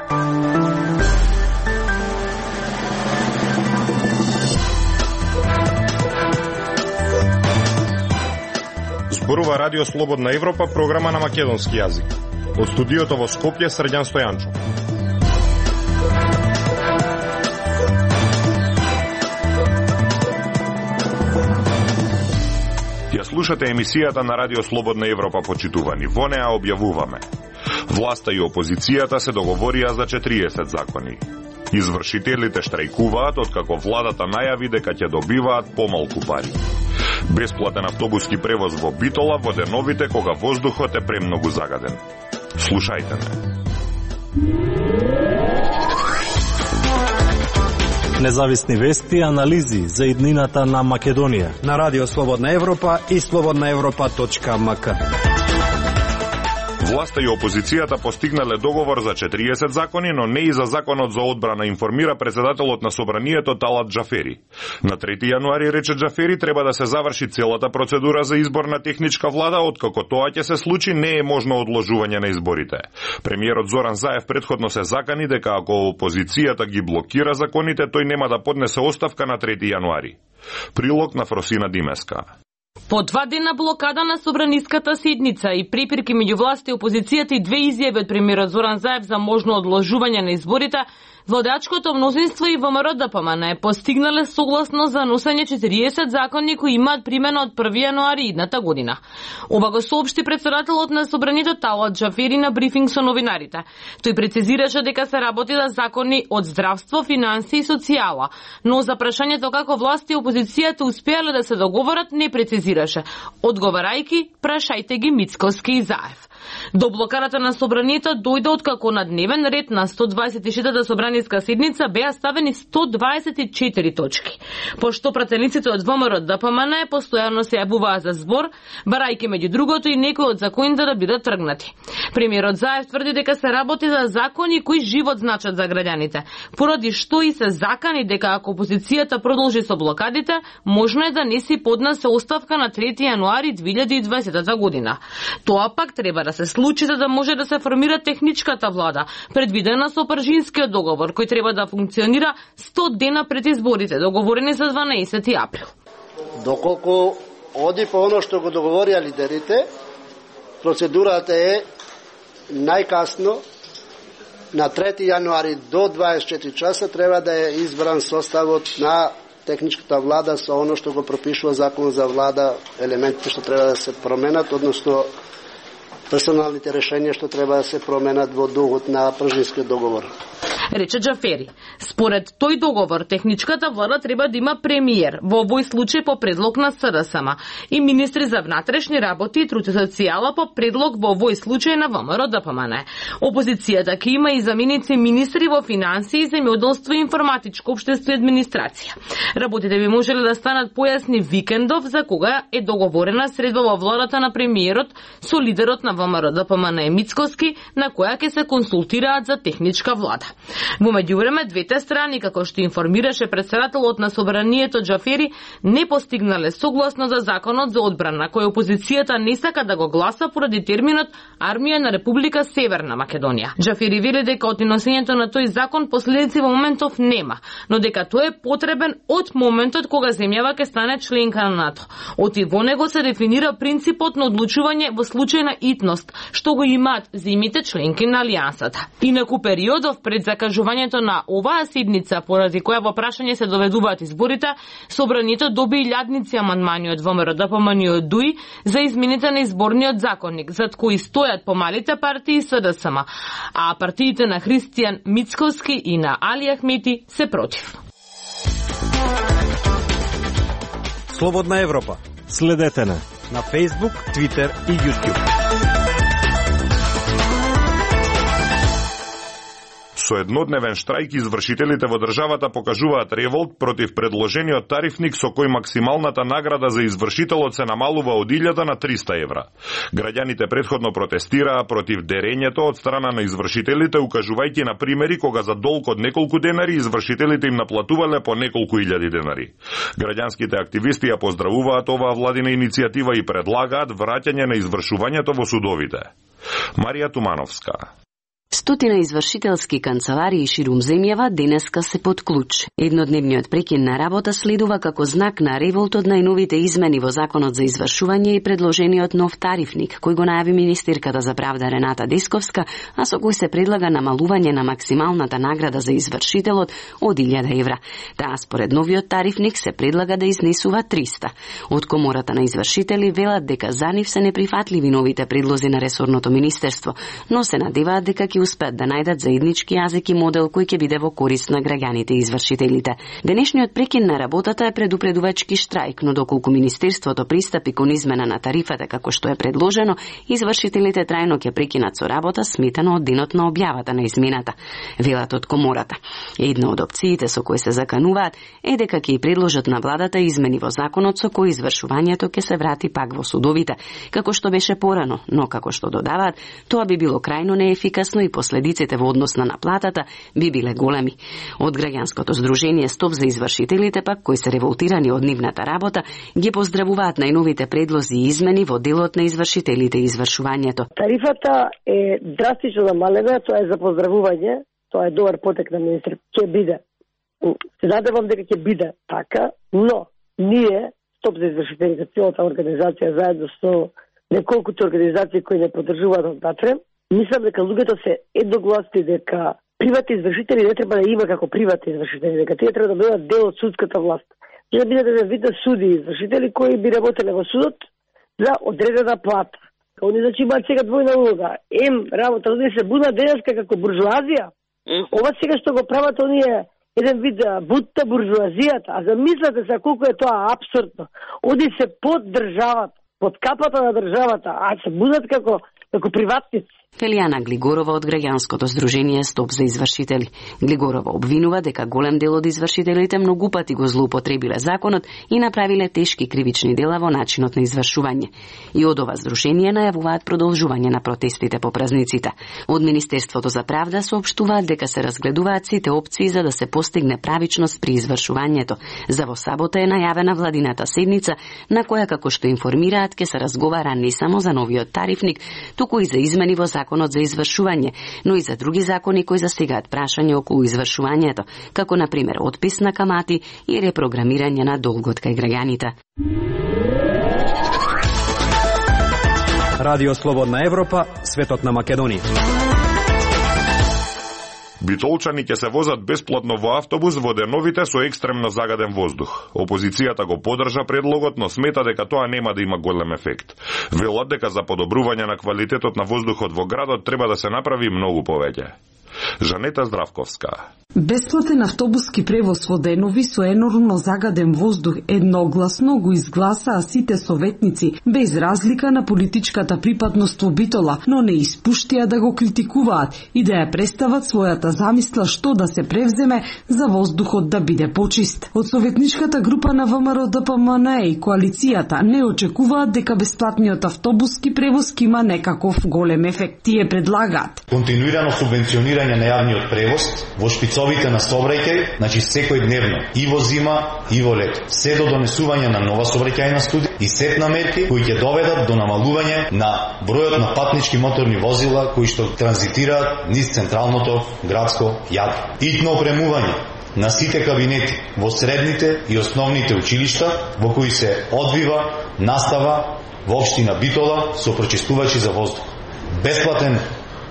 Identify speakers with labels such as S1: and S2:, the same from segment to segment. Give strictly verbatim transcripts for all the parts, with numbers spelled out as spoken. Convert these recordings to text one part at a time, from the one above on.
S1: Зборува Радио Слободна Европа, програма на македонски јазик. Од студиото во Скопје, Срđan Стојанчов. Ја слушате емисијата на Радио Слободна Европа, почитувани. Во неа објавуваме: власта и опозицијата се договорија за четириесет закони. Извршителите штрајкуваат откако владата најави дека ќе добиваат помалку пари. Бесплатен автобуски превоз во Битола во деновите кога воздухот е премногу загаден. Слушајте ме.
S2: Независни вести и анализи за иднината на Македонија
S3: на Радио Слободна Европа и слободна европа точка ем ка.
S1: Власта и опозицијата постигнале договор за четириесет закони, но не и за законот за одбрана, информира председателот на собранието Талат Џафери. На трети јануари, рече Џафери, треба да се заврши целата процедура за избор на техничка влада, откако тоа ќе се случи, не е можно одложување на изборите. Премиерот Зоран Заев предходно се закани дека ако опозицијата ги блокира законите, тој нема да поднесе оставка на трети јануари. Прилог на Фросина Димеска.
S4: По два дена блокада на собраниската седница и препирки меѓу власта и опозицијата и две изјави од премиерот Зоран Заев за можно одложување на изборите, владачкото мнозинство и ВМРО Д П М Н е постигнале согласно за носење четириесет закони кои имаат примена од први јануари идната година. Ова го соопшти председателот на собранието Талат Џафери на брифинг со новинарите. Тој прецизираше дека се работи за закони од здравство, финансии и социјала, но за прашањето како власт и опозицијата успеале да се договорат не прецизираше, одговарајќи прашајте ги Мицкоски и Заев. До блокарата на собранието дојде откако на дневен ред на сто дваесет и шестата собраниска седница беа ставени сто дваесет и четири точки. Пошто пратениците од ВМРО Д П М Н постојано се јавуваа за збор, барајќи меѓу другото и некои од законите да бидат тргнати. Премиерот Заев тврди дека се работи за закони кои живот значат за граѓаните, поради што и се закани дека ако опозицијата продолжи со блокадите, можно е да не си поднесе оставка на трети јануари две илјади и дваесета година. Тоа пак треба да се случи за да може да се формира техничката влада, предвидена со Пржинскиот договор, кој треба да функционира сто дена пред изборите, договорени за дванаесети април.
S5: Доколку оди по оно што го договорија лидерите, процедурата е најкасно на трети јануари до дваесет и четири часа треба да е избран составот на техничката влада со оно што го пропишува законот за влада, елементите што треба да се променат, односно персоналните решенија што треба да се променат во духот на Пржинскиот договор.
S4: Рече Џафери. Според тој договор, техничката влада треба да има премиер, во овој случај по предлог на С Д С М, и министри за внатрешни работи и труд и социјала по предлог во овој случај на ВМРО Д П М Н. Опозицијата ќе има и заменици министри во финансии, земјоделство и информатичко општество и администрација. Работите би можеле да станат појасни викендов за кога е договорена средба во владата на премиерот со лидерот на ВМРО Д П М Н Мицкоски, на која ќе се консултираат за техничка влада. Во меѓувреме, двете страни, како што информираше председателот на собранието Џафери, не постигнале согласно за законот за одбрана, кој опозицијата не сака да го гласа поради терминот Армија на Република Северна Македонија. Џафери вели дека од носењето на тој закон последици во моментов нема, но дека тој е потребен од моментот кога земјава ќе стане членка на НАТО. Оти во него се дефинира принципот на одлучување во случај на итност, што го имаат земјите членки на Алијансата. Инаку периодов пред закажувањето на оваа седница, поради која во прашање се доведуваат изборите, собранието доби илјадници амандмани од ВМРО Д П М Н и од Д У И за измените на изборниот законник, зад кои стојат помалите партии С Д С М, а партиите на Христијан Мицкоски и на Али Ахмети се против.
S3: Слободна Европа.
S2: Следете на
S3: на Facebook, Twitter и YouTube.
S1: Со еднодневен штрајк извршителите во државата покажуваат револт против предложениот тарифник со кој максималната награда за извршителот се намалува од илјада на триста евра. Граѓаните претходно протестираа против дерењето од страна на извршителите, укажувајќи на примери кога за долг од неколку денари извршителите им наплатувале по неколку илјади денари. Граѓанските активисти ја поздравуваат оваа владина иницијатива и предлагаат враќање на извршувањето во судовите. Марија Тумановска.
S6: Стотина извршителски канцеларии ширум земјава денеска се под клуч. Еднодневниот прекин на работа следува како знак на револт од најновите измени во Законот за извршување и предложениот нов тарифник, кој го најави министерката за правда Рената Десковска, а со кој се предлага намалување на максималната награда за извршителот од илјада евра. Таа според новиот тарифник се предлага да изнесува триста. Од Комората на извршители велат дека за нив се неприфатливи новите предлози на ресорното министерство, но се надеваат дека ќе успеат да најдат заеднички јазик и модел кој ќе биде во корист на граѓаните и извршителите. Денешниот прекин на работата е предупредувачки штрајк, но доколку министерството пристапи кон измена на тарифата како што е предложено, извршителите трајно ќе прекинат со работа сметано од денот на објавата на измената, велат од Комората. Една од опциите со кои се закануваат е дека ќе и предложат на владата измени во законот со кои извршувањето ќе се врати пак во судовите, како што беше порано, но како што додаваат, тоа би било крајно неефикасно и последиците во однос на наплатата би биле големи. Од граѓанското здружение Стоп за извршителите пак, кои се револтирани од нивната работа, ги поздравуваат најновите предлози и измени во делот на извршителите и извршувањето.
S7: Тарифата е драстично намалена, тоа е за поздравување, тоа е добар потек на министр. Ќе биде. Се надевам дека ќе биде така, но ние Стоп за извршителите, целата организација заедно со неколкуте организации кои не поддржуваат однатре, мислам дека луѓето се едногласни дека приватни извршители не треба да има како приватни извршители, дека тие треба да бидат дел од судската власт. И да бидат да видат суди и извршители кои би работеле во судот за одредена плата. Они значи имаат сега двојна улога. Ем работа, они се бунат денеска како буржуазија. Ова сега што го прават оние еден вид бутта буржуазијата, а замислете се колку е тоа апсурдно. Они се под државата, под капата на државата, а се будат како како приватници.
S6: Елијана Глигорова од граѓанското здружение Стоп за извршители. Глигорова обвинува дека голем дел од извршителите многу пати го злоупотребиле законот и направиле тешки кривични дела во начинот на извршување. И од ова здружение најавуваат продолжување на протестите по празниците. Од Министерството за правда соопштуваат дека се разгледуваат сите опции за да се постигне правичност при извршувањето. За во сабота е најавена владината седница на која, како што информираат, ќе се разговара не само за новиот тарифник, туку и за измени во законот за извршување, но и за други закони кои засегаат прашање околу извршувањето, како на пример отпис на камати и репрограмирање на долгот кај граѓаните.
S3: Радио Слободна Европа, светот на Македонија.
S1: Битолчани ќе се возат бесплатно во автобус во деновите со екстремно загаден воздух. Опозицијата го поддржа предлогот, но смета дека тоа нема да има голем ефект. Велат дека за подобрување на квалитетот на воздухот во градот треба да се направи многу повеќе. Жанета Здравковска.
S8: Бесплатен автобуски превоз во денови со енормно загаден воздух едногласно го изгласаа сите советници, без разлика на политичката припадност во Битола, но не испуштија да го критикуваат и да ја представат својата замисла што да се превземе за воздухот да биде почист. Од советничката група на ВМРО Д П М Н и коалицијата не очекуваат дека бесплатниот автобуски превоз ќе има некаков голем ефект. Тие предлагаат
S9: континуирано субвенционирање на јавниот превоз во шпицовите на сообраќај, значи секој дневно, и во зима, и во лето, се до донесување на нова сообраќајна студија и сет на мерки кои ќе доведат до намалување на бројот на патнички моторни возила кои што транзитираат низ централното градско јадро. Итно опремување на сите кабинети во средните и основните училишта во кои се одвива настава во општина Битола со прочистувачи за воздух. Бесплатен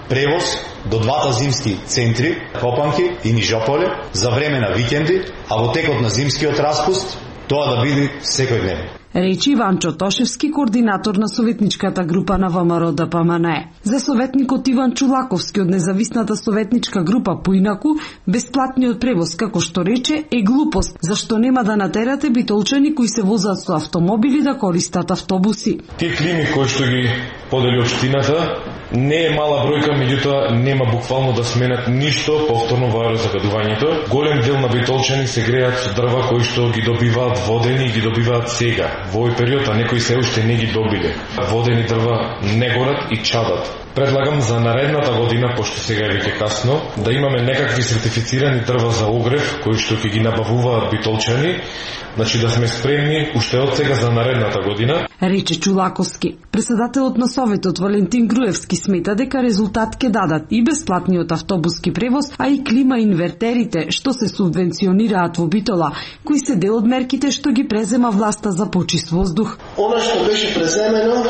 S9: превоз до двата зимски центри, Копанки и Нижополе, за време на викенди, а во текот на зимскиот распуст тоа да биде секој ден.
S8: Речи Иванчо Тошевски, координатор на советничката група на ВМРО Д П М Н. За советникот Иван Чулаковски од независната советничка група поинаку, бесплатниот превоз, како што рече, е глупост, зашто нема да натерате битолчани кои се возат со автомобили да користат автобуси.
S10: Тие клими кои што ги подели општината не е мала бројка, меѓутоа нема буквално да сменат ништо повторно во аерозагадувањето. Голем дел на битолчани се греат со дрва кои што ги добиваат водени и ги добиваат сега. Во овој период, а некои се уште не ги добиле. Водени дрва не горат и чадат. Предлагам за наредната година, пошто сега е веќе касно, да имаме некакви сертифицирани дрва за огрев, кои што ќе ги набавуваат битолчани, значи да сме спремни уште од сега за наредната година.
S8: Рече Чулаковски. Председателот на Советот Валентин Груевски смета дека резултат ќе дадат и бесплатниот автобуски превоз, а и клима инвертерите што се субвенционираат во Битола, кои се дел од мерките што ги презема власта за почист воздух.
S11: Она што беше преземено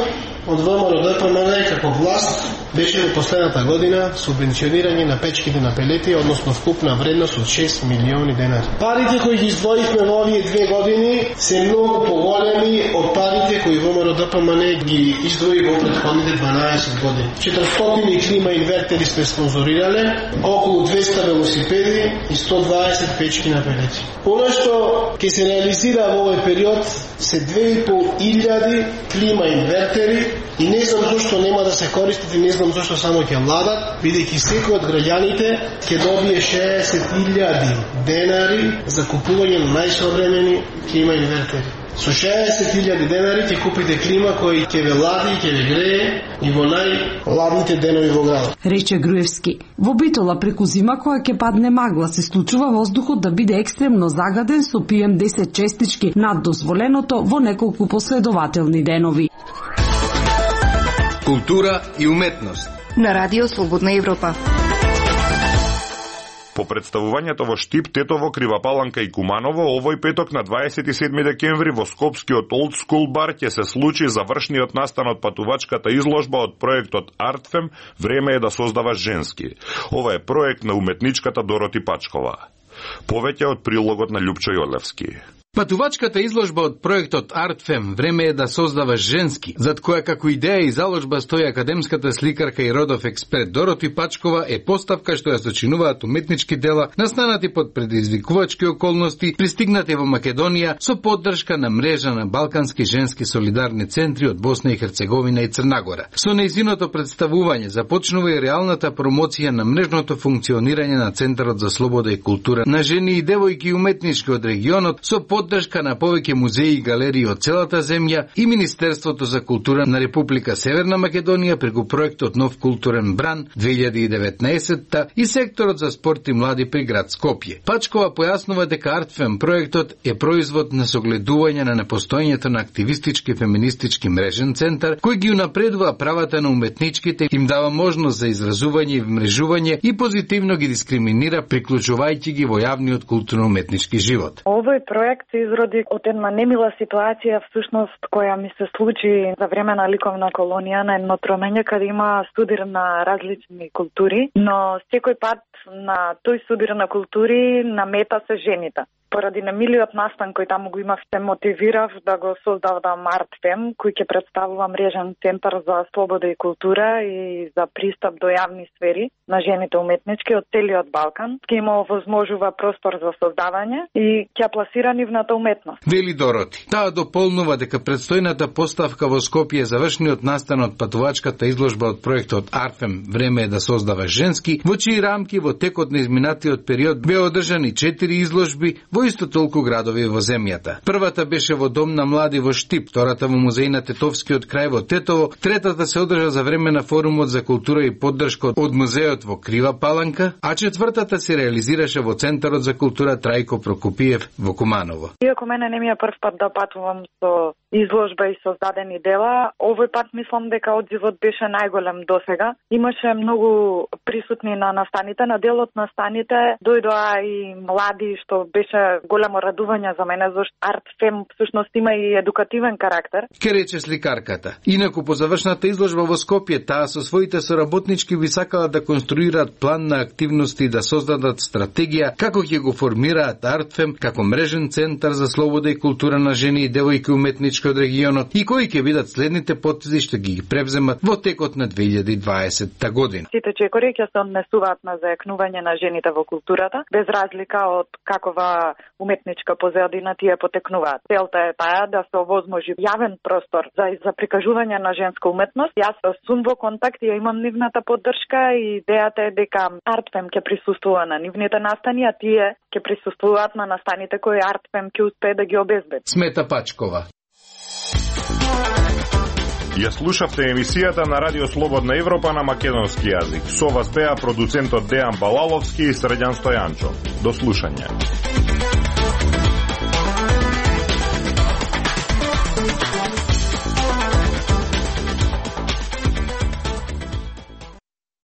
S11: од ВМРО-ДПМН како власт беше во последната година субвенционирање на печките на пелети, односно вкупна вредност од шест милиони денари. Парите кои ги издвоивме во овие две години се многу поголеми од парите кои ВМРО-ДПМН ги издвои во претходните дванаесет години. четиристотини клима инвертери сме спонзорирале, околу двеста велосипеди и сто дваесет печки на пелети. Она што ќе се реализира во овој период се две и пол илјади клима инвертери и не знам зашто нема да се користат и не знам зашто само ќе владат, бидејќи секој од граѓаните ќе добие шеесет илјади денари за купување на најсовремени клима инвертери. Со шеесет илјади денари ќе купите клима кој ќе ве лади и ќе ве грее и во најладните денови во градот.
S8: Рече Груевски. Во Битола преку зима која ќе падне магла се случува воздухот да биде екстремно загаден со пи ем десет честички над дозволеното во неколку последователни денови.
S12: Култура и уметност
S13: на Радио Слободна Европа.
S1: По представувањето во Штип, Тетово, Крива Паланка и Куманово, овој петок на дваесет и седми декември во Скопскиот Олд Скул бар ќе се случи завршниот настан од патувачката изложба од проектот Артфем "Време е да создаваш женски". Ова е проект на уметничката Дороти Пачкова. Повеќе од прилогот на Љупчо Јолевски.
S12: Патувачката изложба од проектот Артфем "Време е да создаваш женски", зад која како идеја и заложба стои академската сликарка и родов експерт Дороти Пачкова, е поставка што ја сочинуваат уметнички дела настанати под предизвикувачки околности, пристигнати во Македонија со поддршка на мрежа на балкански женски солидарни центри од Босна и Херцеговина и Црна Гора. Со нејзиното представување започнува и реалната промоција на мрежното функционирање на Центарот за слобода и култура на жени и девојки уметнички од регионот со поддршка на повеќе музеи и галерии од целата земја и Министерството за култура на Република Северна Македонија преку проектот Нов културен бран две илјади и деветнаесетта и секторот за спорт и млади при град Скопје. Пачкова појаснува дека Артфем проектот е производ на согледување на непостоењето на активистички феминистички мрежен центар кој ги унапредува правата на уметничките, им дава можност за изразување и вмрежување и позитивно ги дискриминира приклучувајќи ги во јавниот културно-уметнички живот.
S14: Овој проект се изроди од една немила ситуација всушност која ми се случи за време на ликовна колонија на едно тромење каде има судир на различни култури, но секој пат на тој судир на култури на мета се жените. Поради немилиот настан кој таму го имав, се мотивирав да го создадам Артфем, кој ќе представува мрежен центар за слобода и култура и за пристап до јавни сфери на жените уметнички од целиот Балкан. Ќе има овозможува простор за создавање и ќе пласира нивната уметност.
S12: Вели Дороти. Таа дополнува дека предстојната поставка во Скопје завршниот настан од патувачката изложба од проектот Артфем "Време е да создаваш женски", во чии рамки во текот на изминатиот период беа одржани четири изложби во исто толку градови во земјата. Првата беше во Дом на млади во Штип, втората во музеј на Тетовскиот крај во Тетово, третата се одржа за време на форумот за култура и поддршка од музеот во Крива Паланка, а четвртата се реализираше во Центарот за култура Трајко Прокопиев во Куманово.
S14: Иако мене не ми е прв пат да патувам со изложба и создадени дела, овој пат мислам дека одзивот беше најголем досега. Имаше многу присутни на настаните, на делот на настаните дојдоа и млади, што беше големо радување за мене, зашто Артфем всушност има и едукативен карактер.
S12: Ке рече сликарката. Инаку по завршната изложба во Скопје, таа со своите соработнички би сакала да конструираат план на активности и да создадат стратегија како ќе го формираат Артфем како мрежен центар за слобода и култура на жени и девојки уметнички од регионот и кои ќе бидат следните потези што ги превземат во текот на две илјади и дваесетта година.
S14: Сите чекори ќе се однесуваат на зајакнување на жените во културата, без разлика од какова уметничка позадина тие потекнуваат. Целта е таа да се овозможи јавен простор за за прикажување на женска уметност. Јас сум во контакт и ја имам нивната поддршка и идејата е дека Артфем ќе присуствува на нивните настани, а тие ќе присуствуваат на настаните кои Артфем ќе успее да ги обезбеди.
S12: Смета Пачкова.
S1: Ја слушавте емисијата на Радио Слободна Европа на македонски јазик. Со вас беа продуцентот Дејан Балаловски и Срđan Стојанчо. До слушање.